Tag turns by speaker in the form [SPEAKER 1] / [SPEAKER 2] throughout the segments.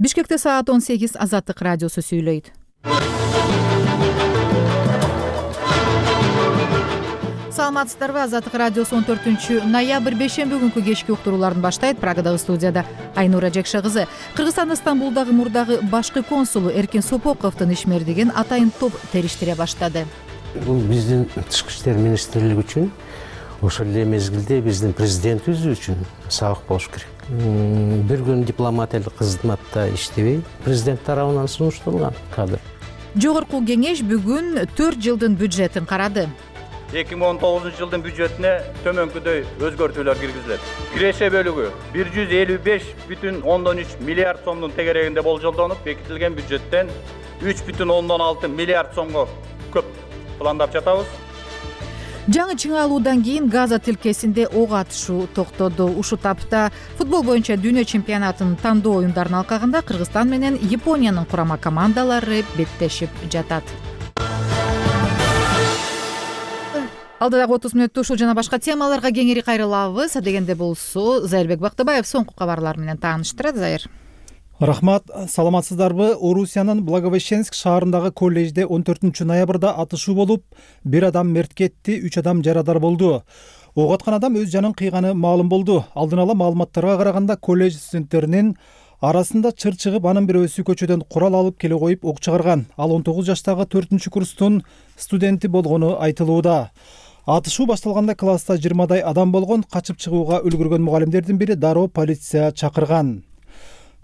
[SPEAKER 1] Бишкекте саат 18 Азаттык радиосу сүйлөйт. Саламатсыздарбы? Азаттык радиосу 14-ноябрь бейшемби күнкү кечки уктурууларын баштайт. Прагадагы студияда Айнура Жекша кызы. Кыргызстан Стамбулдагы мурдагы башкы консулу Эркин Сопоковдун ишмердигин атайын топ териштире баштады.
[SPEAKER 2] Бул биздин тышкы иштер министрлиги үчүн, ошол эле мезгилде биздин президентибиз үчүн сабак болуш керек. Бир күн дипломатиялык кызматта иштебей, президент тарабынан сунушталган кадр.
[SPEAKER 1] Жогорку кеңеш бүгүн 4 жылдын бюджетин карады.
[SPEAKER 3] 2019 жылдын бюджетине төмөнкүдөй өзгөртүүлөр киргизилет. Киреше бөлүгү 155,3 миллиард сомдун тегерегинде болжолдонуп, бекитилген бюджеттен 3,6 миллиард сомго көп пландап жатабыз.
[SPEAKER 1] Жаңы чыңалуудан кийин Газа тилкесинде ок атышуу токтоду. Ушул тапта футбол боюнча дүйнө чемпионатынын тандоо оюндарынын алкагында Кыргызстан менен Япониянын курама командалары беттешип жатат. Алдыдагы 30 мүнөттө ушул жана башка темаларга кеңири кайрылабыз. Дегенде болсо Зайырбек Бактыбаев соңку кабарлар менен тааныштырат. Зайыр.
[SPEAKER 4] Рахмат, саламатсыздарбы? Орусиянын Благовещенск шаарындагы коллежде 14-ноябрда атышуу болуп, бир адам мерт кетти, 3 адам жарадар болду. Ок аткан адам өз жанын кыйганы маалым болду. Алдын ала маалыматтарга караганда коллеж студенттеринин арасында чыр чыгып, анын бирөөсү көчөдөн курал алып келе коюп ок чыгарган. Ал 19 жаштагы 4-курстун студенти болгону айтылууда. Атышуу башталганда класста 20дай адам болгон. Качып чыгууга үлгүргөн мугалимдердин бири дароо полиция чакырган.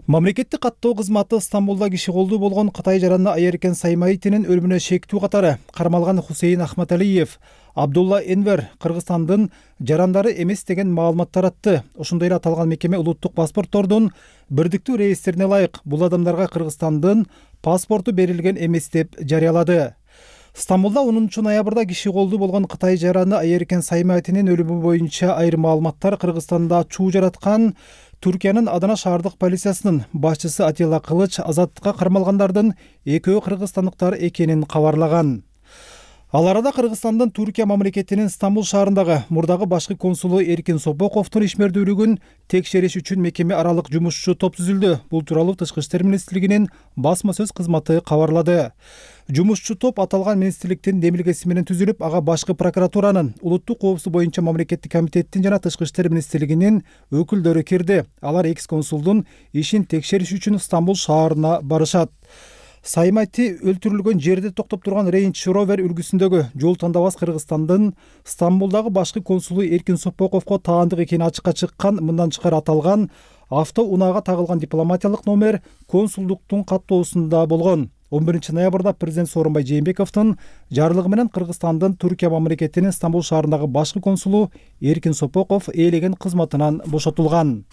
[SPEAKER 4] Мамлекеттик каттоо кызматы Стамбулда киши колдуу болгон Кытай жараны Айеркен Саймаитинин өлүмүнө шектүү катары кармалган Хусейин Ахматалиев, Абдулла Энвер Кыргызстандын жарандары эмес деген маалымат таратты. Ошондой эле аталган мекеме улуттук паспорттордун бирдиктүү реестрине ылайык бул адамдарга Кыргызстандын паспорту берилген эмес деп жарыялады. Стамбулда 10-ноябрда киши колдуу болгон Кытай жараны Айеркен Саймаитинин өлүмү боюнча айрым маалыматтар Кыргызстанда чуу жараткан Түркиянын Адана шаардык полициясынын башчысы Атилла Кылыч азаттыкка кармалгандардын экөө кыргызстандыктар экенин кабарлаган. Ал арада Кыргызстандын Түркия мамлекетинин Стамбул шаарындагы мурдагы башкы консулу Эркин Сопоковдун ишмердүүлүгүн текшериш үчүн мекеме аралык жумушчу топ түзүлдү. Бул тууралуу Тышкы иштер министрлигинин басма сөз кызматы кабарлады. Жумушчу топ аталган министрликтин демилгеси менен түзүлүп, ага башкы прокуратуранын, улуттук коопсуздук боюнча мамлекеттик комитеттин жана Тышкы иштер министрлигинин өкүлдөрү кирди. Алар экс-консулдун ишин текшериш үчүн Стамбул шаарына барышат. Саймайти өлтүрүлгөн жерде токтоп турган Range Rover үлгүсүндөгү жол тандабас Кыргызстандын Стамбулдагы башкы консулу Эркин Сопоковго таандык экени ачыкка чыккан. Мындан тышкары аталган автоунаага тагылган дипломатиялык номер консулдуктун каттоосунда болгон. 11-ноябрда президент Сооронбай Жээнбековдун жарлыгы менен Кыргызстандын Түркия мамлекетинин Стамбул шаарындагы башкы консулу Эркин Сопоков ээлеген кызматынан бошотулган.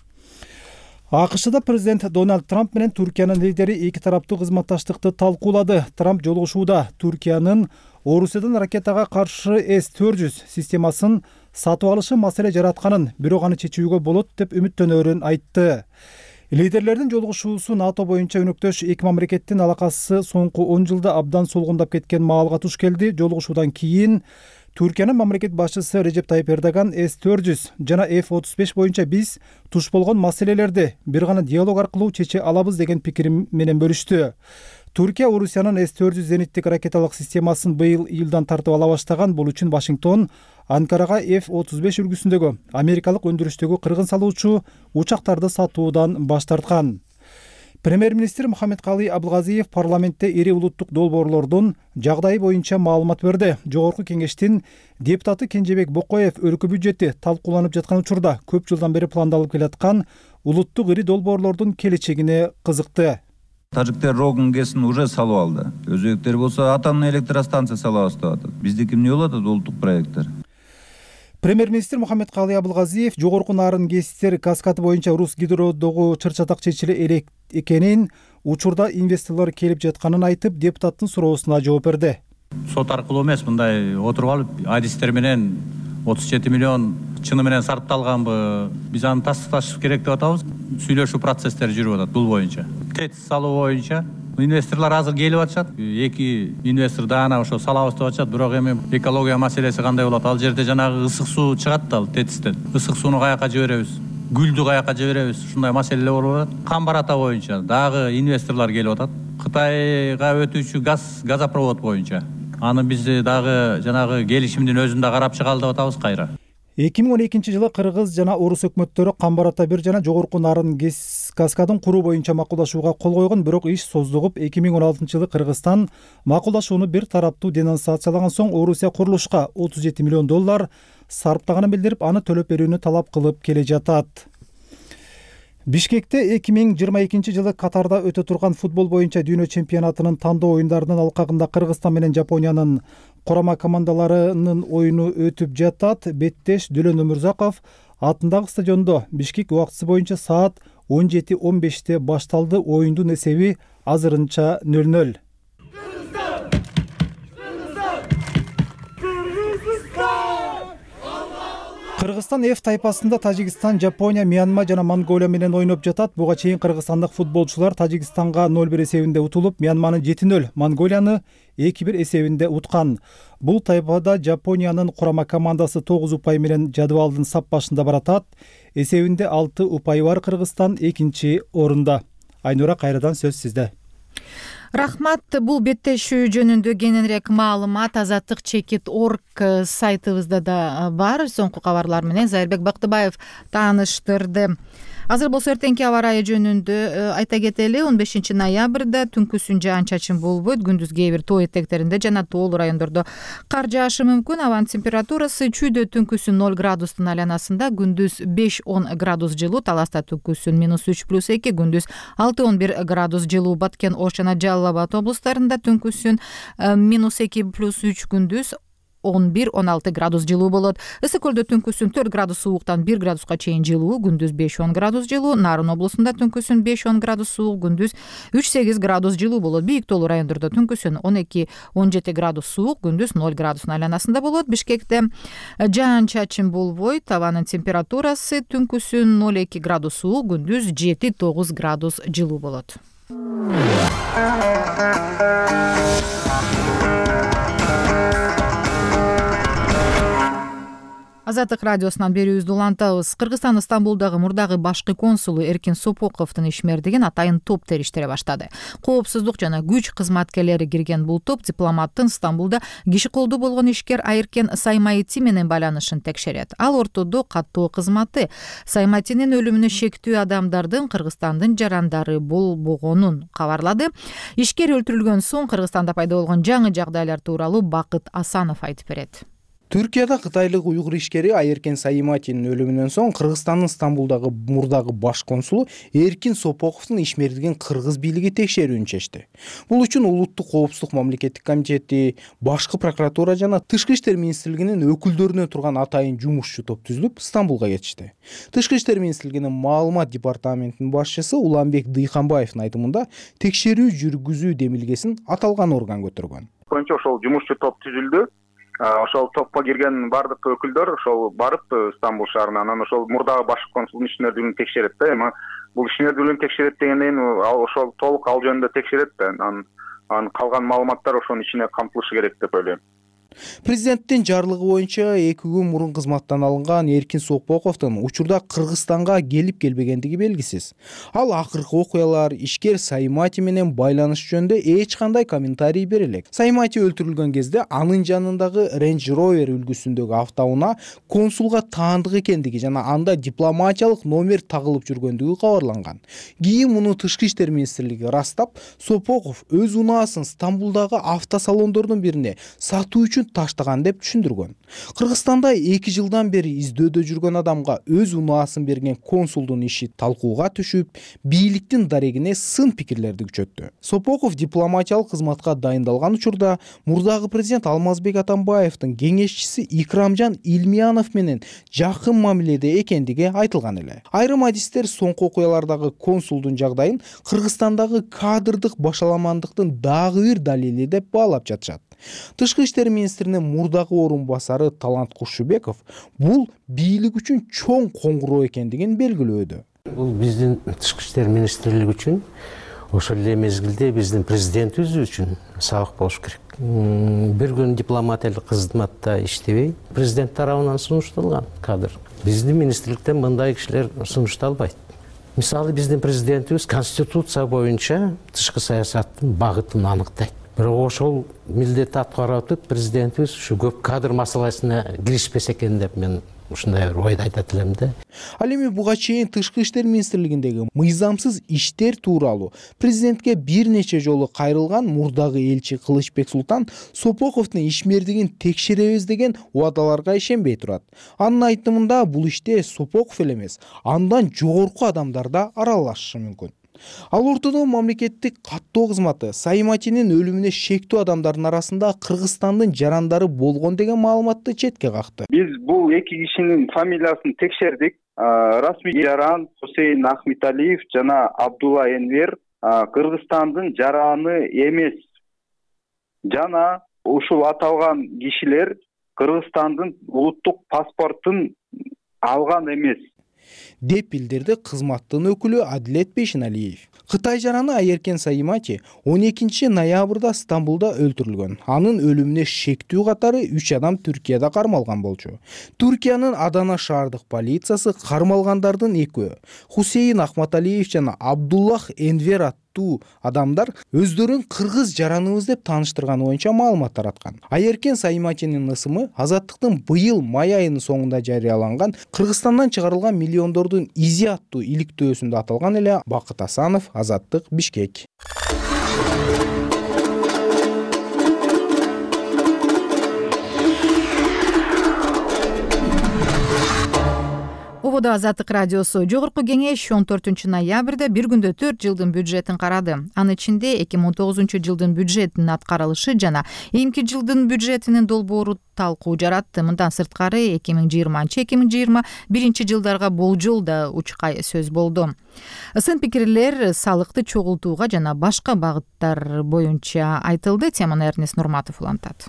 [SPEAKER 4] АКШда президент Дональд Трамп менен Түркиянын лидери эки тараптуу кызматташтыкты талкуулады. Трамп жолугушууда Түркиянын Орусиядан ракетага каршы С-400 системасын сатып алышы маселе жаратканын, бирок аны чечүүгө болот деп үмүттөнөрүн айтты. Лидерлердин жолугушуусу НАТО боюнча өнөктөш эки мамлекеттин алакасы соңку 10 жылда абдан солгундап кеткен маалга туш келди. Жолугушуудан кийин Түркиянын мамлекет башчысы Режеп Тайип Эрдоган С-400 жана F-35 боюнча биз туш болгон маселелерди бир гана диалог аркылуу чече алабыз деген пикир менен бөлүштү. Түркия Орусиянын С-400 зениттик ракеталык системасын быйыл июлдан тартып ала баштаган. Бул үчүн Вашингтон Анкарага F-35 үлгүсүндөгү америкалык өндүрүштөгү кыргын салуучу учактарды сатуудан баш тарткан. Премьер-министр Мухаммедкалый Абылгазиев парламентте ири улуттук долбоорлордун жагдайы боюнча маалымат берди. Жогорку кеңештин депутаты Кенжебек Бокоев өлкө бюджети талкууланып жаткан учурда көп жылдан бери пландалып келаткан улуттук ири долбоорлордун келечегине кызыкты.
[SPEAKER 5] Тажиктер Рогун ГЭСин уже салып алды. Өзбектер болсо атомный электростанция салабыз деп атат. Биздики эмне болот улуттук проекттер?
[SPEAKER 4] Премьер-министр Мухаммедкалый Абылгазиев жогорку нарын ГЭСтер каскады боюнча Рус гидродогу чыр-чатак чечиле элек экенин, учурда инвесторлор келип жатканын айтып, депутаттын суроосуна жооп берди.
[SPEAKER 3] Сот аркылуу эмес, мындай отуруп алып, адистер менен 37 миллион чыны менен сарпталганбы, биз аны тастыкташ керек деп атабыз. Сүйлөшүү процесстери жүрүп атат бул боюнча. ТЭЦ салуу боюнча инвесторлор азыр келип атышат. Эки инвестор даана ошо салабыз деп атышат. Бирок эми экология маселеси кандай болот? Ал жерде жанагы ысык суу чыгат да ТЭЦтен. Ысык сууну каяка жиберебиз? гүлдү каяка жиберебиз, ушундай маселелер болуп атат. Камбар ата боюнча дагы инвесторлор келип атат. Кытайга өтүүчү газопровод боюнча. Аны биз дагы жанагы келишимдин өзүн да карап чыгалы деп атабыз кайра.
[SPEAKER 4] 2012-жылы кыргыз жана орус өкмөттөрү Камбар ата 1 жана Жогорку Нарын каскадын куруу боюнча макулдашууга кол койгон, бирок иш создугуп 2016-жылы Кыргызстан макулдашууну бир тараптуу денонсациялаган соң Орусия курулушка $37 миллион сарптаганын билдирип, аны төлөп берүүнү талап кылып келе жатат. Бишкекте 2022-жылы Катарда өтө турган футбол боюнча дүйнө чемпионатынын тандоо оюндарынын алкагында Кыргызстан менен Жапониянын курама командаларынын оюну өтүп жатат. Беттеш Дөлөн Өмүрзаков атындагы стадиондо Бишкек убактысы боюнча саат 17:15 башталды. Оюндун эсеби азырынча 0-0. Кыргызстан F тайпасында Тажикстан, Жапония, Мьянма жана Монголия менен ойноп жатат. Буга чейин кыргызстандык футболчулар Тажикстанга 0-1 эсебинде утулуп, Мьянманы 7-0, Монголияны 2-1 эсебинде уткан. Бул тайпада Жапониянын курама командасы 9 упай менен жадыбалдын сап башында баратат. Эсебинде 6 упай бар Кыргызстан 2-чи орунда. Айнура, кайрадан сөз сизде.
[SPEAKER 1] Рахмат. Бул беттешүү жөнүндө кененирээк маалымат Азаттык.org сайтыбызда да бар. Соңку кабарлар менен Зайырбек Бактыбаев тааныштырды. Азыр болсо эртеңки аба ырайы жөнүндө айта кетели. 15 ноябрда түнкүсүн жаан-чачын болбойт. Күндүз кээ бир тоо этектеринде жана тоолуу райондордо кар жаашы мүмкүн. Абанын температурасы чүйдө түнкүсүн 0 градустун айланасында, күндүз 5-10 градус жылуу, Таласта түнкүсүн -3+2, күндүз 6-11 градус жылуу, Баткен, Ош жана Жалал Абад облустарында түнкүсүн -2+3, күндүз 11-16 градус жылуу болот. Ысык көлдө түнкүсүн 4 градус сууктан 1 градуска чейин жылуу, күндүз 5-10 градус жылуу, Нарын облусунда түнкүсүн 5-10 градус суук, күндүз 3-8 градус жылуу болот. Бийик тоолуу райондордо түнкүсүн 12-17 градус суук, күндүз 0 градустун айланасында болот. Бишкекте жаан-чачын болбойт. Абанын температурасы түнкүсүн 0-2 градус суук, күндүз 7-9 градус жылуу болот. Азаттык радиосунан берүүбүздү улантабыз. Кыргызстан Стамбулдагы мурдагы башкы консулу Эркин Сопоковдун ишмердигин атайын топ териштире баштады. Коопсуздук жана күч кызматкерлери кирген бул топ дипломаттын Стамбулда киши колдуу болгон ишкер Айыркен Саймаити менен байланышын текшерет. Ал ортодо каттоо кызматы Саймайтинин өлүмүнө шектүү адамдардын Кыргызстандын жарандары болбогонун кабарлады. Ишкер өлтүрүлгөн соң Кыргызстанда пайда болгон жаңы жагдайлар тууралуу Бакыт Асанов айтып берет.
[SPEAKER 6] Түркияда кытайлык уйгур ишкери Айыркен Сайматинин өлүмүнөн соң Кыргызстандын Стамбулдагы мурдагы баш консулу Эркин Сопоковдун ишмердигин кыргыз бийлиги текшерүүнү чечти. Бул үчүн Улуттук коопсуздук мамлекеттик комитети, башкы прокуратура жана Тышкы иштер министрлигинин өкүлдөрүнөн турган атайын жумушчу топ түзүлүп Стамбулга кетишти. Тышкы иштер министрлигинин маалымат департаментинин башчысы Уланбек Дыйханбаевдин айтымында текшерүү жүргүзүү демилгесин аталган орган көтөргөн.
[SPEAKER 7] Ошол жумушчу топ түзүлдү. Ошол топко кирген бардык өкүлдөр ошол барып Стамбул шаарына, анан ошол мурдагы башкы консулдун ишмердүүлүгүн текшерет да. Эми бул ишмердүүлүгүн текшерет дегенден ошол толук ал жөнүндө текшерет да. Анан калган маалыматтар ошонун ичине камтылышы керек деп ойлойм.
[SPEAKER 6] Президенттин жарлыгы боюнча 2 күн мурун кызматтан алынган Эркин Сопоковдун учурда Кыргызстанга келип келбегендиги белгисиз. Ал акыркы окуялар, ишкер Саймати менен байланыш жөнүндө эч кандай комментарий бере элек. Саймати өлтүрүлгөн кезде анын жанындагы Range Rover үлгүсүндөгү автоунаа консулга таандык экендиги жана анда дипломатиялык номер тагылып жүргөндүгү кабарланган. Кийин муну Тышкы иштер министрлиги ырастап, Сопоков өз унаасын Стамбулдагы автосалондордун бирине сатуу үчүн таштаган деп түшүндүргөн. Кыргызстанда 2 жылдан бери издөөдө жүргөн адамга өз унаасын берген консулдун иши талкууга түшүп, бийликтин дарегине сын пикирлерди күчөттү. Сопоков дипломатиялык кызматка дайындалган учурда мурдагы президент Алмазбек Атамбаевдин кеңешчиси Икрамжан Илмиянов менен жакын мамиледе экендиги айтылган эле. Айрым адистер соңку окуялардагы консулдун жагдайын Кыргызстандагы кадрдык башаламандыктын дагы бир далили деп баалап жатышат. Тышкы иштер министринин мурдагы орун басары Талант Кушубеков бул бийлик үчүн чоң коңгуроо экендигин белгилөөдө.
[SPEAKER 2] Бул биздин Тышкы иштер министрлиги үчүн, ошол эле мезгилде биздин президентибиз үчүн сабак болуш керек. Бир күн дипломатиялык кызматта иштебей, президент тарабынан сунушталган кадр. Биздин министрликтен мындай кишилер сунушталбайт. Мисалы биздин президентибиз конституция боюнча тышкы саясаттын багытын аныктайт. Бирок ошол милдетти аткарып атып президентибиз ушу көп кадр маселесине киришпесе экен деп мен ушундай бир ойду айтат элем да.
[SPEAKER 6] Ал эми буга чейин Тышкы иштер министрлигиндеги мыйзамсыз иштер тууралуу президентке бир нече жолу кайрылган мурдагы элчи Кылычбек Султан Сопоковдун ишмердигин текшеребиз деген убадаларга ишенбей турат. Анын айтымында бул иште Сопоков эле эмес, андан жогорку адамдар да аралашышы мүмкүн. Ал ортодо мамлекеттик каттоо кызматы Сайматинин өлүмүнө шектүү адамдардын арасында Кыргызстандын жарандары болгон деген маалыматты четке какты.
[SPEAKER 8] Биз бул эки кишинин фамилиясын текшердик. Расмий жаран Хусейн Ахметалиев жана Абдулла Энвер Кыргызстандын жараны эмес. Жана ушул аталган кишилер Кыргызстандын улуттук паспортун алган эмес
[SPEAKER 6] деп билдирди кызматтын өкүлү Адилет Бейшеналиев. Кытай жараны Айеркен Саймати 12 ноябрда Стамбулда өлтүрүлгөн. Анын өлүмүнө шектүү катары 3 адам Түркияда кармалган болчу. Түркиянын Адана шаардык полициясы кармалгандардын экөө Хусейн Ахматалиев жана Абдуллах Энвер аттуу адамдар өздөрүн кыргыз жараныбыз деп тааныштырганы боюнча маалымат тараткан. Айеркен Сайматинин ысымы Азаттыктын быйыл май айынын соңунда жарыяланган Кыргызстандан чыгарылган миллиондордун изи аттуу иликтөөсүндө аталган эле. Бакыт Асанов, Азаттык, Бишкек.
[SPEAKER 1] Ободо Азаттык радиосу жогорку кеңеш 14 ноябрда бир күндө 4 жылдын бюджетин карады. Анын ичинде 2019 жылдын бюджетинин аткарылышы жана эмки жылдын бюджетинин долбоору талкуу жаратты. Мындан сырткары 2020-2021 жылдарга болжол да учкай сөз болду. Сын пикирлер салыкты чогултууга жана башка багыттар боюнча айтылды. Теманы Эрнест Нурматов улантат.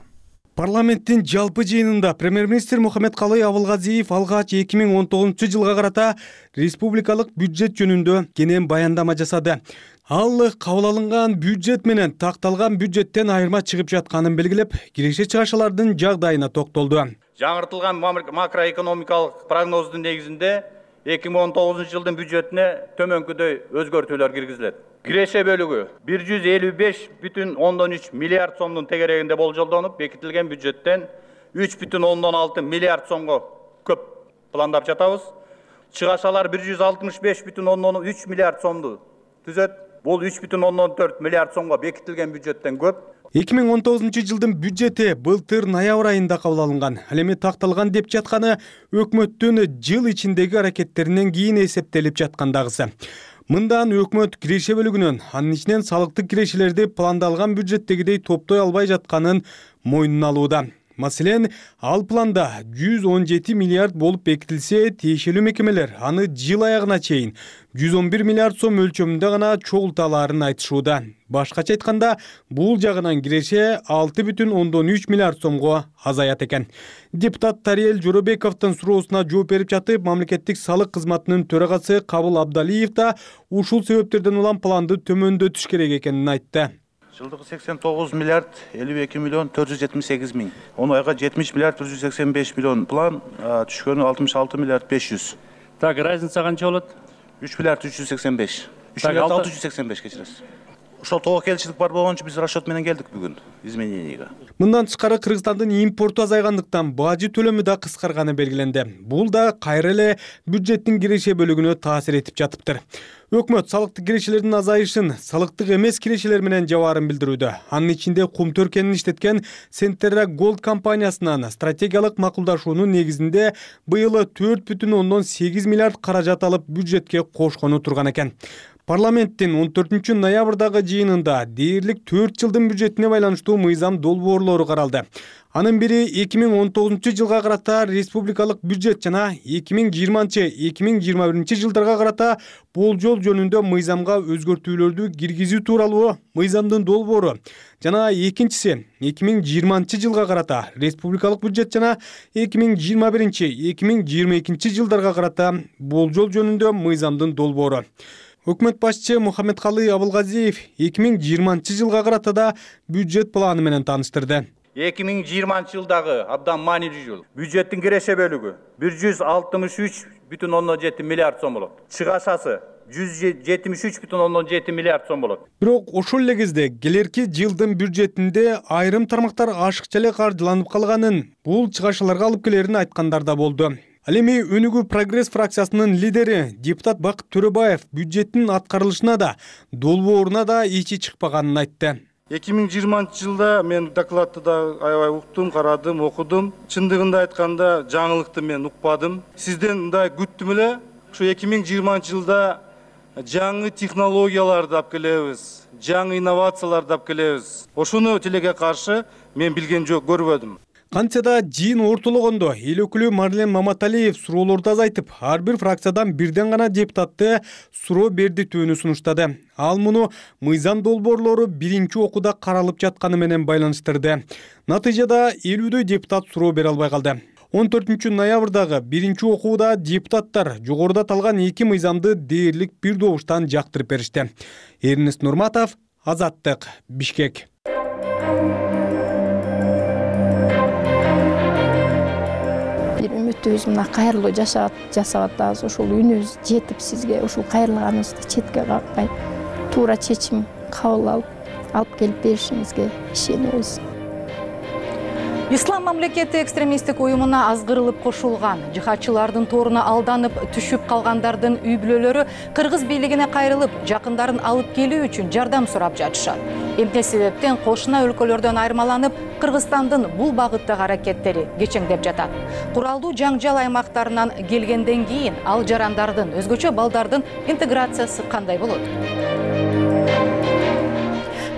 [SPEAKER 9] Парламенттин жалпы жыйынында премьер-министр Мухаммедкалый Абылгазиев алгач 2019 жылга карата республикалык бюджет жөнүндө кенен баяндама жасады. Ал кабыл алынган бюджет менен такталган бюджеттен айырма чыгып жатканын белгилеп, киреше чыгашалардын жагдайына токтолду.
[SPEAKER 3] Жаңыртылган макроэкономикалык прогноздун негизинде 2019 жылдын бюджетине төмөнкүдөй өзгөртүүлөр киргизилет. Киреше бөлүгү 155,3 миллиард сомдун тегерегинде болжолдонуп, бекитилген бюджеттен 3,6 миллиард сомго көп пландап жатабыз. Чыгашалар 165,3 миллиард сомду түзөт. Бул 3,4 миллиард сомго бекитилген бюджеттен көп.
[SPEAKER 9] 2019 жылдын бюджети былтыр ноябрь айында кабыл алынган. Ал эми такталган деп жатканы өкмөттүн жыл ичиндеги аракеттеринен кийин эсептелип жаткандагысы. Мындан өкмөт киреше бөлүгүнөн, анын ичинен салыктык кирешелерди пландалган бюджеттегидей топтой албай жатканын мойнуна алууда. Маселен, ал планда 117 миллиард болуп бекитилсе, тиешелүү мекемелер аны жыл аягына чейин 111 миллиард сом өлчөмүндө гана чогулталарын айтышууда. Башкача айтканда, бул жагынан киреше 6,3 миллиард сомго азаят экен. Депутат Тариел Жоробековдун суроосуна жооп берип жатып, мамлекеттик салык кызматынын төрагасы Кабыл Абдалиев да ушул себептерден улам планды төмөндөтүш керек экенин айтты.
[SPEAKER 10] Жылдығы 89 миллиард 52 миллион 478 миң. Оны айға 70 миллиард 185 миллион план, түшкені 66 миллиард 500.
[SPEAKER 3] Так, разница қанша болады?
[SPEAKER 10] 3 миллиард 385. 3 миллиард 685 кечиресиз. Ошол тоо келчилик бар болгончо биз расчет менен келдик бүгүн измененияга.
[SPEAKER 9] Мындан тышкары Кыргызстандын импорту азайгандыктан бажы төлөмү да кыскарганы белгиленди. Бул да кайра эле бюджеттин киреше бөлүгүнө таасир этип жатыптыр. Өкмөт салыктык кирешелердин азайышын салыктык эмес кирешелер менен жабаарын билдирүүдө. Анын ичинде кум төркенин иштеткен Centerra Gold компаниясынан стратегиялык макулдашуунун негизинде быйыл 4,8 миллиард каражат алып бюджетке кошкону турган экен. Парламенттин 14 ноябрдагы жыйынында дээрлик 4 жылдын бюджетине байланыштуу мыйзам долбоорлору каралды. Анын бири 2019 жылга карата республикалык бюджет жана 2020-2021 жылдарга карата болжол жөнүндө мыйзамга өзгөртүүлөрдү киргизүү тууралуу мыйзамдын долбоору жана экинчиси 2020 жылга карата республикалык бюджет жана 2021-2022 жылдарга карата болжол жөнүндө мыйзамдын долбоору. Өкмөт башчы Мухаммедкалый Абылгазиев 2020 жылга карата да бюджет планы менен тааныштырды.
[SPEAKER 3] 2020-жылдагы абдан маанилүү жыл. Бюджеттин киреше бөлүгү 163,7 миллиард сом болот. Чыгашасы 173,7 миллиард сом болот.
[SPEAKER 9] Бирок ошол эле кезде келерки жылдын бюджетинде айрым тармактар ашыкча эле каржыланып калганын, бул чыгашаларга алып келерин айткандар да болду. Ал эми Өнүгүү Прогресс фракциясынын лидери депутат Бакыт Төрөбаев бюджеттин аткарылышына да, долбооруна да ичи чыкпаганын айтты.
[SPEAKER 11] 2020 мен докладты да аябай уктум, карадым, окудум. Чындыгында айтканда жаңылыкты мен укпадым. Сизден мындай күттүм эле, ушу 2020 жылда жаңы технологияларды алып келебиз, жаңы инновацияларды алып келебиз. Ошону тилеге каршы мен билген жок, көрбөдүм.
[SPEAKER 9] Кантсе да жыйын ортологондо эл өкүлү Марлен Маматалиев суроолорду азайтып, ар бир фракциядан бирден гана депутатты суроо бердитүүнү сунуштады. Ал муну мыйзам долбоорлору биринчи окууда каралып жатканы менен байланыштырды. Натыйжада 50 депутат суроо бере албай калды. 14 ноябрдагы биринчи окууда депутаттар жогоруда аталган эки мыйзамды дээрлик бир добуштан жактырып беришти. Эрнест Нурматов, Азаттык, Бишкек.
[SPEAKER 12] Үмүтүбүз мына кайрылуу жасап атабыз. Ошол үнүбүз жетип сизге ушул кайрылганыбызды четке какпай туура чечим кабыл алып келип беришиңизге ишенебиз.
[SPEAKER 1] Ислам мамлекети экстремисттик уюмуна азгырылып кошулган, жихадчылардын торуна алданып түшүп калгандардын үй бүлөлөрү кыргыз бийлигине кайрылып, жакындарын алып келүү үчүн жардам сурап жатышат. Эмне себептен кошуна өлкөлөрдөн айырмаланып, Кыргызстандын бул багыттагы аракеттери кечеңдеп жатат. Куралдуу жаңжал аймактарынан келгенден кийин ал жарандардын, өзгөчө балдардын интеграциясы кандай болот?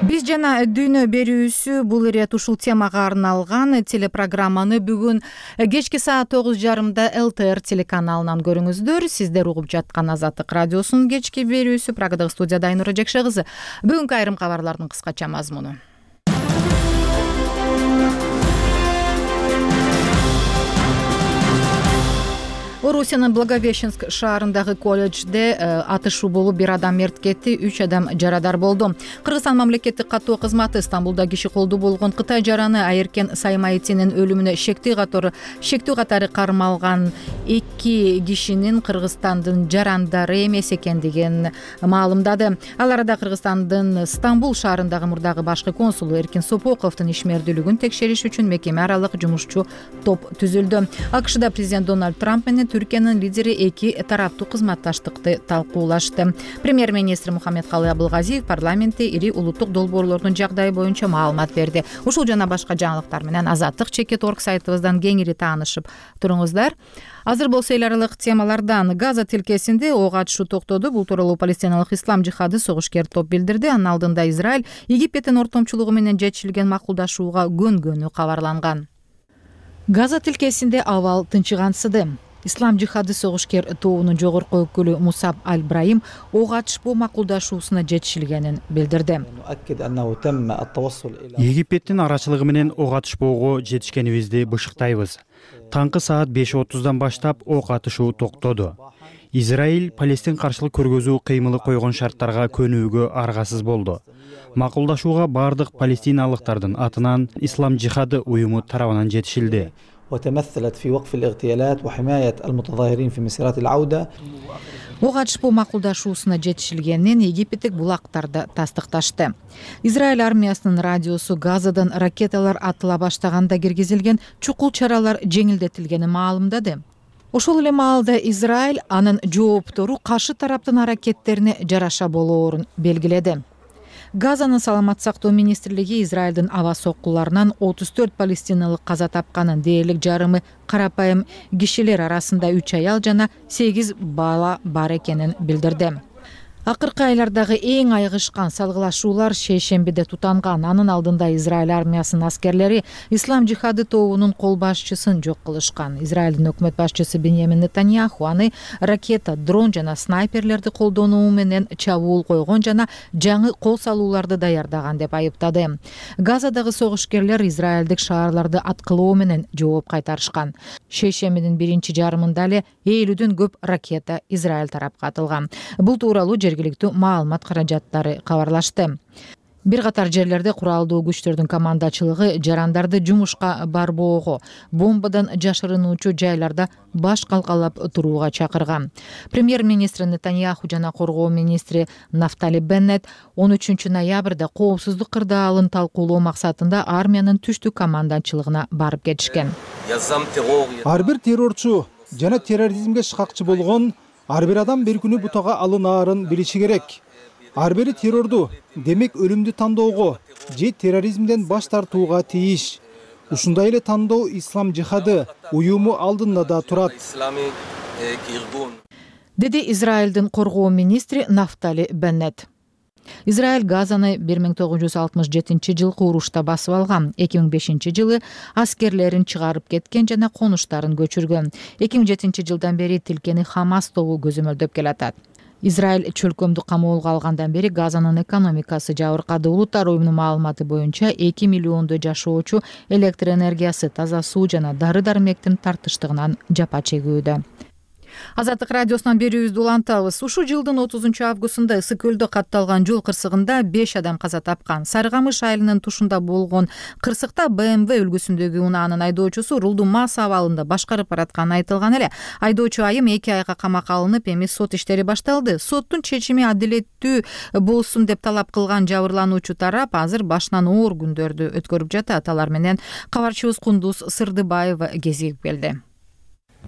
[SPEAKER 1] Биз жана дүйнө берүүсү бул ирет ушул темага арналган телепрограмманы бүгүн кечки саат 9:30 ЛТР телеканалынан көрүңүздөр. Сиздер угуп жаткан Азаттык радиосунун кечки берүүсү. Прагадагы студияда Айнура Жекше кызы. Бүгүнкү айрым кабарлардын кыскача мазмуну. Орусиянын Благовещенск шаарындагы колледжде атышуу болуп, бир адам мерт кетти, 3 адам жарадар болду. Кыргызстан мамлекеттик каттоо кызматы Стамбулда киши колду болгон Кытай жараны Айеркен Саймаитинин өлүмүнө шектүү катары кармалган 2 кишинин Кыргызстандын жарандары эмес экендигин маалымдады. Ал арада Кыргызстандын Стамбул шаарындагы мурдагы башкы консулу Эркин Сопоковдун ишмердүүлүгүн текшериш үчүн мекеме аралык жумушчу топ түзүлдү. АКШда президент Дональд Трамп менен Түркиянын лидери эки тараптуу кызматташтыкты талкуулашты. Премьер-министр Мухаммедкалый Абылгазиев парламентте ири улуттук долбоорлордун жагдайы боюнча маалымат берди. Ушул жана башка жаңылыктар менен Азаттык.org сайтыбыздан кеңири таанышып туруңуздар. Азыр болсо эл аралык темалардан Газа тилкесинде ок атышуу токтоду. Бул тууралуу палестиналык ислам жихады согушкер топ билдирди. Анын алдында Израиль Египеттин ортомчулугу менен жетишилген макулдашууга көнгөнү кабарланган. Газа тилкесинде абал тынчыгансыды. Ислам жихады согушкер тобунун жогорку өкүлү Мусаб Аль-Брайим ок атышпоо макулдашуусуна жетишилгенин билдирди.
[SPEAKER 13] Египеттин арачылыгы менен ок атышпоого жетишкенибизди бышыктайбыз. Таңкы саат 5:30 баштап ок атышуу токтоду. Израиль Палестин каршылык көргөзүү кыймылы койгон шарттарга көнүүгө аргасыз болду. Макулдашууга бардык палестиналыктардын атынан Ислам жихады уюму тарабынан жетишилди.
[SPEAKER 14] وتمثلت في وقف الاغتيالات وحماية المتظاهرين في مسيرات العودة.
[SPEAKER 1] Ок атышпоо макулдашуусуна жетишилгенин египеттик булактарды тастыкташты. Израиль армиясынын радиосу Газадан ракеталар атыла баштаганда киргизилген чукул чаралар жеңилдетилгенин маалымдады. Ошол эле маалда Израиль анын жооптору каршы тараптын аракеттерине жараша болоорун белгиледи. Газанын саламат сактоо министрлиги Израилдин аба соккуларынан 34 палестиналык каза тапканын, дээрлик жарымы карапайым кишилер арасында 3 аял жана 8 бала бар экенин билдирди. Акыркы айлардагы эң айгышкан салгылашуулар шейшембиде тутанган. Анын алдында Израиль армиясынын аскерлери Ислам жихады тобунун кол башчысын жок кылышкан. Израилдин өкмөт башчысы Беньямин Нетаньяху аны ракета, дрон жана снайперлерди колдонуу менен чабуул койгон жана жаңы кол салууларды даярдаган деп айыптады. Газадагы согушкерлер израилдик шаарларды аткылоо менен жооп кайтарышкан. Шейшембинин биринчи жарымында эле 50дөн көп ракета Израиль тарапка атылган. Бул тууралуу жергиликтүү маалымат каражаттары кабарлашты. Бир катар жерлерде куралдуу күчтөрдүн командачылыгы жарандарды жумушка барбоого, бомбадан жашырынуучу жайларда баш калкалап турууга чакырган. Премьер-министр Нетаньяху жана коргоо министри Нафтали Беннет 13 ноябрда коопсуздук кырдаалын талкуулоо максатында армиянын түштүк командачылыгына барып кетишкен.
[SPEAKER 4] Ар бир террорчу жана терроризмге шыкакчы болгон ар бир адам бир күнү бутага алынаарын билиши керек. Ар бири террорду, демек өлүмдү тандоого же терроризмден баш тартууга тийиш. Ушундай эле тандоо ислам жихады уюму алдында да турат,
[SPEAKER 1] деди Израилдин коргоо министри Нафтали Беннет. Израиль Газаны 1967-жылкы урушта басып алган. 2005-жылы аскерлерин чыгарып кеткен жана конуштарын көчүргөн. 2007-жылдан бери тилкени Хамас тобу көзөмөлдөп келатат. Израиль чөлкөмдү камоолго алгандан бери Газанын экономикасы жабыркады. Улуттар уюмунун маалыматы боюнча 2 миллиондой жашоочу электр энергиясы, таза суу жана дары-дармектин тартыштыгынан жапа чегүүдө. Азаттык радиосунан берүүбүздү улантабыз. Ушул жылдын 30-августунда Ысык көлдө катталган жол кырсыгында 5 адам каза тапкан. Сарыкамыш айылынын тушунда болгон кырсыкта BMW үлгүсүндөгү унаанын айдоочусу рулду мас абалында башкарып баратканы айтылган эле. Айдоочу айым 2 айга камакка алынып, эми сот иштери башталды. Соттун чечими адилеттүү болсун деп талап кылган жабырлануучу тарап азыр башынан оор күндөрдү өткөрүп жатат. Алар менен кабарчыбыз Кундуз Сырдыбаева кезигип келди.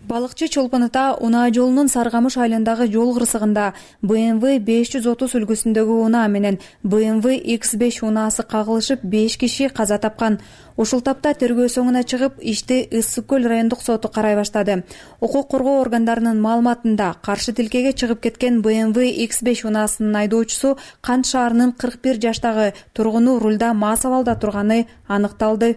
[SPEAKER 15] Балыкчы Чолпон ата унаа жолунун Сарыкамыш айылындагы жол кырсыгында BMW 530 үлгүсүндөгү унаа менен BMW X5 унаасы кагылышып 5 киши каза тапкан. Ушул тапта тергөө соңуна чыгып, ишти Ысык көл райондук соту карай баштады. Укук коргоо органдарынын маалыматында каршы тилкеге чыгып кеткен BMW X5 унаасынын айдоочусу Кант шаарынын 41 жаштагы тургуну рулда мас абалда турганы аныкталды.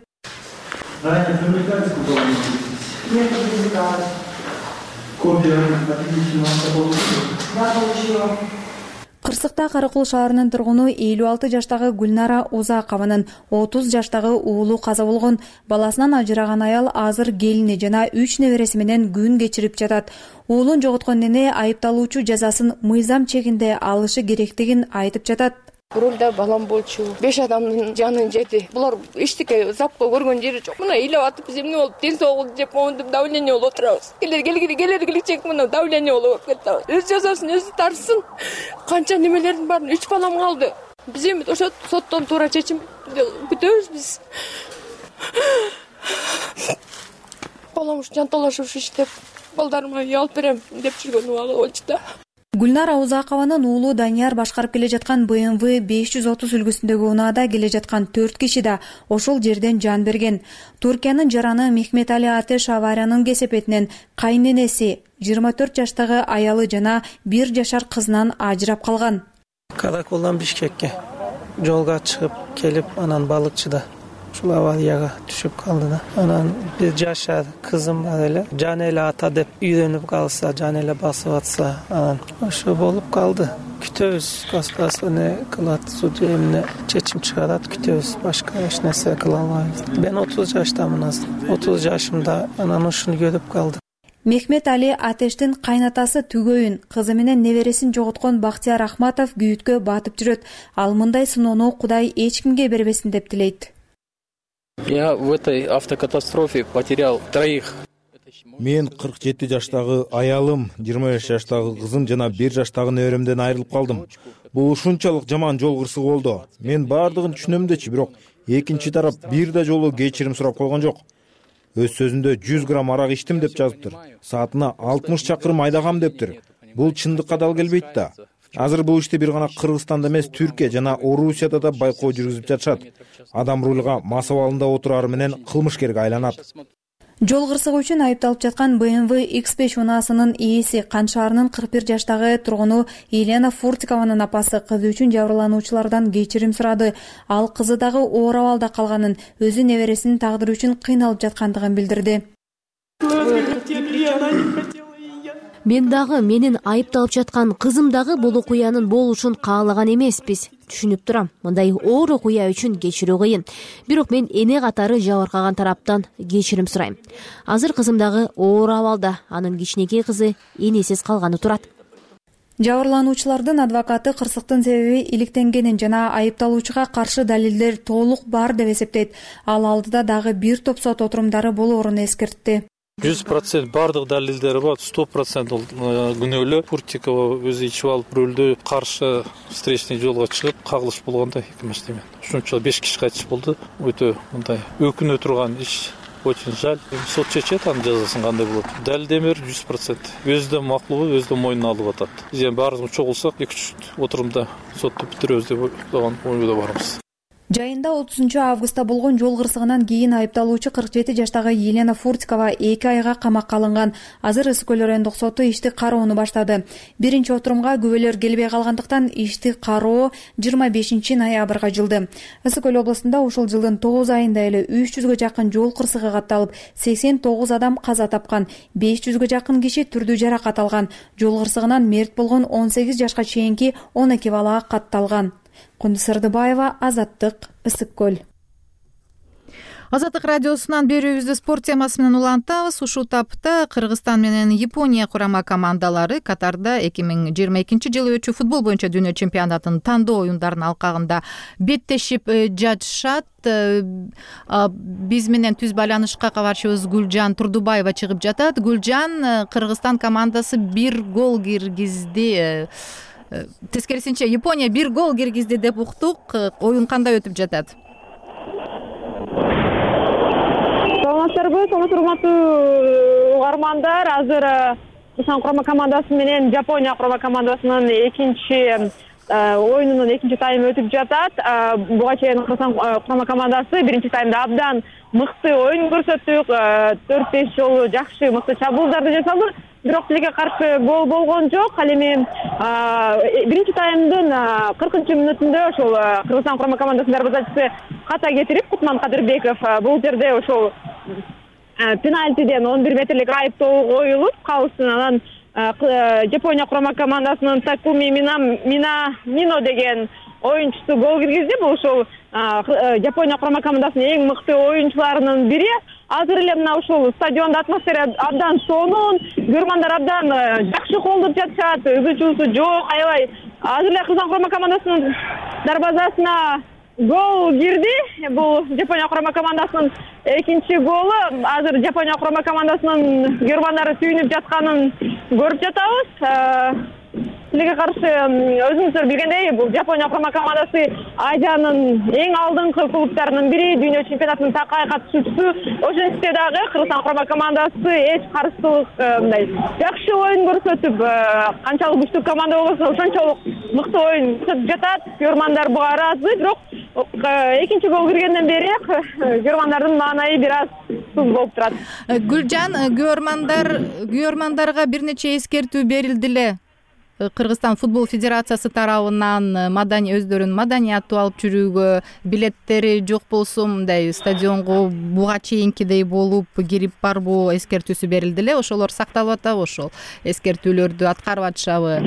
[SPEAKER 15] Кырсыкта Каракул шаарынын тургуну 56 жаштагы Гүлнара Узакованын 30 жаштагы уулу каза болгон. Баласынан ажыраган аял азыр келини жана 3 небереси менен күн кечирип жатат. Уулун жоготкон эне айыпталуучу жазасын мыйзам чегинде алышы керектигин айтып жатат.
[SPEAKER 16] Рулда балам болчу. 5 адамдын жанын жеди. Булар эчтеке запко көргөн жери жок. Мына ыйлап атып биз эмне болуп, ден соолук жеп моунтуп давление болуп отурабыз. Келер мына давление болуп кетти. Өз жазасын өзү тарсын. Канча немелердин баарын 3 балам калды. Биз эми ошо соттон туура чечим күтөбүз биз. Балам ушу жанталашып иштеп, балдарыма үй алып берем деп жүргөн убагы болчу да.
[SPEAKER 15] Гүлнара Узакованын уулу Данияр башкарып келе жаткан BMW 530 үлгүсүндөгү унаада келе жаткан 4 киши да ошол жерден жан берген. Туркиянын жараны Мехметали Атеш авариянын кесепетинен кайненеси 24 жаштагы аялы жана 1 жашар кызынан ажырап калган.
[SPEAKER 17] Каракулдан Бишкекке жолго чыгып келип, анан балыкчыда ушул аварияга түшүп калды да. Анан 1 жашар кызым бар эле. Жан эле ата деп үйрөнүп калса, жан эле басып атса, анан ошо болуп калды. Күтөбүз, государство не кылат, судья эмне чечим чыгарат, күтөбүз. Башка эч нерсе кыла албайбыз. Мен 30 жаштамын азыр. 30 жашымда анан ушуну көрүп калдым.
[SPEAKER 15] Мехмет Али Атештин кайнатасы Түгөйүн кызы менен небересин жоготкон Бактияр Ахматов күйүткө батып жүрөт. Ал мындай сыноону Кудай эч кимге бербесин деп тилейт.
[SPEAKER 18] Я в этой автокатастрофе потерял 3.
[SPEAKER 19] Мен 47 жаштагы аялым, 25 жаштагы кызым жана 1 жаштагы неберемден айрылып калдым. Бул ушунчалык жаман жол кырсыгы болду. Мен бардыгын түшүнөм дечи, бирок экинчи тарап бир да жолу кечирим сурап койгон жок. Өз сөзүндө 100 грамм арак ичтим деп жазыптыр. Саатына 60 чакырым айдагам дептир. Бул чындыкка дал келбейт да. Азыр бул ишти бир гана Кыргызстанда эмес, Түркия жана Орусияда да байкоо жүргүзүп жатышат. Адам рулга мас абалында отурары менен кылмышкерге айланат.
[SPEAKER 15] Жол кырсыгы үчүн айыпталып жаткан BMW X5 унаасынын ээси Кант шаарынын 41 жаштагы тургуну Елена Фуртикованын апасы кызы үчүн жабырлануучулардан кечирим сурады. Ал кызы дагы оор абалда калганын, өзү небересинин тагдыры үчүн кыйналып жаткандыгын билдирди.
[SPEAKER 20] Мен дагы, менин айыпталып жаткан кызым дагы бул окуянын болушун каалаган эмеспиз. Түшүнүп турам, мындай оор окуя үчүн кечирүү кыйын. Бирок мен эне катары жабыркаган тараптан кечирим сурайм. Азыр кызым дагы оор абалда, анын кичинекей кызы энесиз калганы турат.
[SPEAKER 15] Жабырлануучулардын адвокаты кырсыктын себеби иликтенгенин жана айыпталуучуга каршы далилдер толук бар деп эсептейт. Ал алдыда дагы бир топ сот отурумдары болоорун эскертти.
[SPEAKER 21] 100% бардык далилдери бар, 100% күнөөлүү. Пуртикова өзү ичип алып рөлдө каршы встречный жолго чыгып кагылыш болгондо экен. Ошончо 5 киши кайтыш болду. Өтө мындай өкүнө турган иш. Очень жаль. Сот чечет анын жазасын кандай болот. Далилдемер 100%. Өзү да макулбу, өзү да мойнуна алып атат. Биз эми баарыбыз чогулсак 2-3 отурумда сотто бүтүрөбүз деп ойдо барбыз.
[SPEAKER 15] Жайында 30 августта болгон жол кырсыгынан кийин айыпталуучу 47 жаштагы Елена Фуртикова 2 айга камакка алынган. Азыр Ысык Көл райондук соту ишти кароону баштады. Биринчи отурумга күбөлөр келбей калгандыктан ишти кароо 25 ноябрга жылды. Ысык Көл областында ушул жылдын 9 айында эле 300гө жакын жол кырсыгы катталып, 89 адам каза тапкан, 500гө жакын киши түрдүү жаракат алган. Жол кырсыгынан мерт болгон 18 жашка чейинки 12 бала катталган. Кундуз Сырдыбаева, Азаттык, Ысык Көл.
[SPEAKER 1] Азаттык радиосунан берүүбүздү спорт темасы менен улантабыз. Ушул тапта Кыргызстан менен Япония курама командалары Катарда 2022 өтчү футбол боюнча дүйнө чемпионатынын тандоо оюндарынын алкагында беттешип жатышат. Биз менен түз байланышка кабарчыбыз Гүлжан Турдубаева чыгып жатат. Гүлжан, Кыргызстан командасы 1 гол киргизди. Тескерисинче Япония 1 гол киргизди деп уктук. Оюн кандай өтүп жатат?
[SPEAKER 22] Саламатсыздарбы, урматтуу угармандар. Азыр Кыргызстан курама командасы менен Япония курама командасынын экинчи оюнунун экинчи таймы өтүп жатат. Буга чейин Кыргызстан курама командасы биринчи таймда абдан мыкты оюн көрсөттүк. 4-5 жолу жакшы мыкты чабуулдарды жасады. Бирок тилге каршы гол болгон жок. Ал эми биринчи таймдын 40-мүнөтүндө ошол Кыргызстан курама командасынын дарбазачысы ката кетирип, Кутман Кадырбеков бул жерде ошол пенальтиден 11 метрлик айыптоо коюлуп калсын. Анан Япония курама командасынын Такуми Мино деген оюнчусу гол киргизди. Бул ошол Япония курама командасынын эң мыкты оюнчуларынын бири. Азыр эле мына ушул стадиондо атмосфера абдан сонун, көрмандар абдан жакшы колдоп жатышат, өзүчүүсү жок, аябай. Азыр эле Кыргызстан курама командасынын дарбазасына гол кирди. Бул Япония курама командасынын экинчи голу. Азыр Япония курама командасынын көрмандары сүйүнүп жатканын көрүп жатабыз. Тилге каршы өзүңүздөр билгендей, бул Япония курама командасы Азиянын эң алдыңкы клубтарынын бири, дүйнө чемпионатынын такай катышуучусу. Ошентсе дагы Кыргызстан курама командасы эч каршылык мындай жакшы оюн көрсөтүп, канчалык күчтүү команда болсо ошончолук мыкты оюн көрсөтүп жатат. Көрмандар буга ыраазы, бирок экинчи гол киргенден бери көрмандардын маанайы бир аз туз болуп турат.
[SPEAKER 1] Гүлжан, көрмандарга бир нече эскертүү берилди эле. Кыргызстан футбол федерациясы тарабынан өздөрүнүн маданиятты алып жүрүүгө, билеттери жок болсо мындай стадионго буга чейинкидей болуп кирип барбоо эскертүүсү берилди эле. Ошолор сакталып атабы, ошол эскертүүлөрдү аткарып атышабы?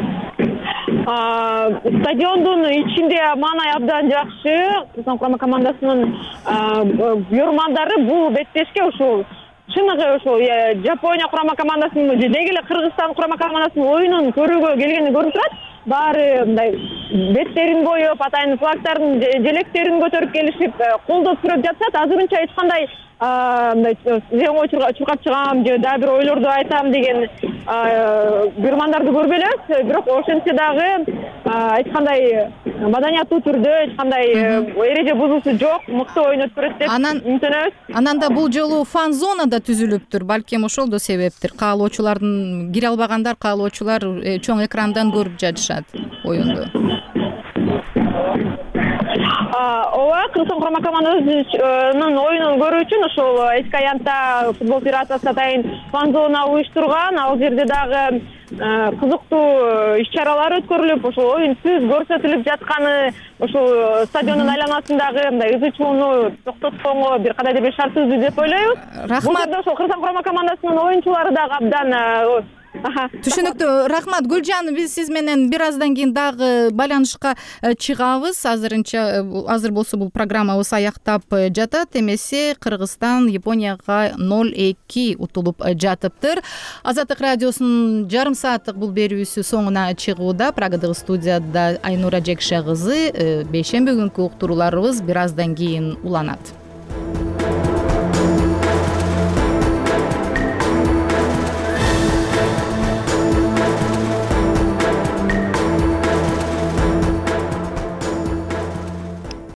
[SPEAKER 22] Стадиондун ичинде маанай абдан жакшы. Кыргызстан курама командасынын көрмандары бул беттешке ушул чыныгы ошол Япония курама командасынын деги эле Кыргызстан курама командасынын оюнун көрүүгө келгени көрүнүп турат. Баары мындай беттерин боеп, атайын флагтардын желектерин көтөрүп келишип, колдоп сүрөп жатышат. Азырынча эч кандай мындай зеңөө чуркап чыгам же дагы бир ойлорду айтам деген көрмандарды көрбөйбүз. Бирок ошентсе дагы эч кандай маданияттуу түрдө эч кандай эреже бузуусу жок, мыкты оюн өткөрөт деп үмүттөнөбүз.
[SPEAKER 1] Анан да бул жолу фан зона да түзүлүптүр. Балким ошол да себептир. Каалоочулардын кире албагандар, каалоочулар чоң экрандан көрүп жатышат оюнду.
[SPEAKER 22] Ооба, Кыргызстан курама командасынын оюнун көрүү үчүн ошол эски аянтта футбол федерациясы атайын фан зона уюштурган. Ал жерде дагы кызыктуу иш-чаралар өткөрүлүп, ошол оюн түз көрсөтүлүп жатканы, ошол стадиондун айланасындагы мындай ызы чууну токтотконго бир кадайда бир шарт түздү деп ойлойбуз.
[SPEAKER 1] Рахмат.
[SPEAKER 22] Ошол Кыргызстан курама командасынын оюнчулары дагы абдан
[SPEAKER 1] Түшүнүктүү, рахмат Гүлжан. Биз сиз менен бир аздан кийин дагы байланышка чыгабыз. Азыр болсо бул программабыз аяктап жатат. Эмесе Кыргызстан Японияга 0-2 утулуп жатыптыр. Азаттык радиосунун жарым сааттык бул берүүсү соңуна чыгууда. Прагадагы студияда Айнура Жекше кызы. Бейшемби күнкү уктурууларыбыз бир аздан кийин уланат.